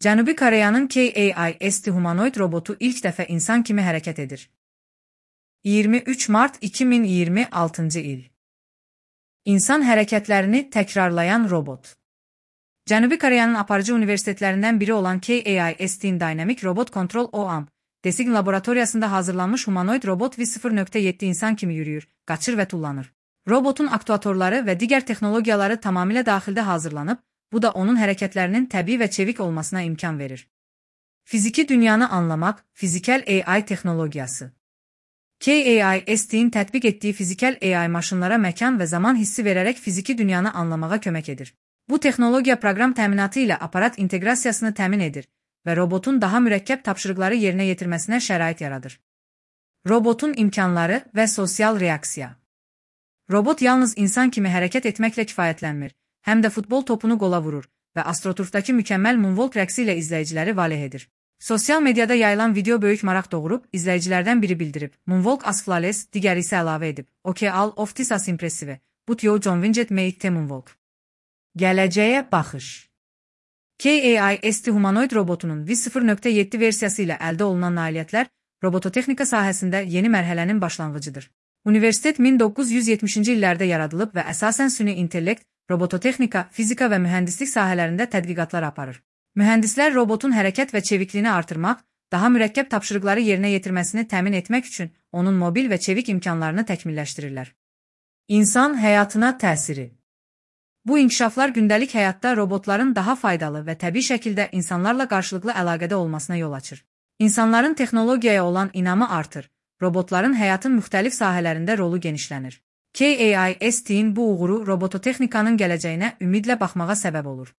Cənubi Koreyanın KAIST humanoid robotu ilk dəfə insan kimi hərəkət edir. 23 mart 2026 il. İnsan hərəkətlərini təkrarlayan robot. Cənubi Koreyanın aparıcı universitetlərindən biri olan KAIST-in Dynamic Robot Control OAM, Design laboratoriyasında hazırlanmış humanoid robot V0.7 insan kimi yürüyür, qaçır və tullanır. Robotun aktuatorları və digər texnologiyaları tamamilə daxildə hazırlanıb, bu da onun hərəkətlərinin təbii və çevik olmasına imkan verir. Fiziki dünyanı anlamaq, fizikal AI texnologiyası. KAIST-in tətbiq etdiyi fizikal AI maşınlara məkan və zaman hissi verərək fiziki dünyanı anlamağa kömək edir. Bu texnologiya proqram təminatı ilə aparat inteqrasiyasını təmin edir və robotun daha mürəkkəb tapşırıqları yerinə yetirməsinə şərait yaradır. Robotun imkanları və sosial reaksiya. Robot yalnız insan kimi hərəkət etməklə kifayətlənmir, həm də futbol topunu qola vurur və astroturfdakı mükəmməl moonwalk rəqsi ilə izləyiciləri valeh edir. Sosial mediada yayılan video böyük maraq doğurub, izləyicilərdən biri bildirib, moonwalk as flawless, digəri isə əlavə edib, OK all of this as impressive, but you John Winget made the moonwalk. Gələcəyə baxış. KAIST humanoid robotunun V0.7 versiyası ilə əldə olunan nailiyyətlər robototexnika sahəsində yeni mərhələnin başlanğıcıdır. Universitet 1970-ci illərdə yaradılıb və əsasən süni intellekt, robototexnika, fizika və mühəndislik sahələrində tədqiqatlar aparır. Mühəndislər robotun hərəkət və çevikliyini artırmaq, daha mürəkkəb tapşırıqları yerinə yetirməsini təmin etmək üçün onun mobil və çevik imkanlarını təkmilləşdirirlər. İnsan həyatına təsiri. Bu inkişaflar gündəlik həyatda robotların daha faydalı və təbii şəkildə insanlarla qarşılıqlı əlaqədə olmasına yol açır. İnsanların texnologiyaya olan inamı artır, robotların həyatın müxtəlif sahələrində rolu genişlənir. KAIST-in bu uğuru robototexnikanın gələcəyinə ümidlə baxmağa səbəb olur.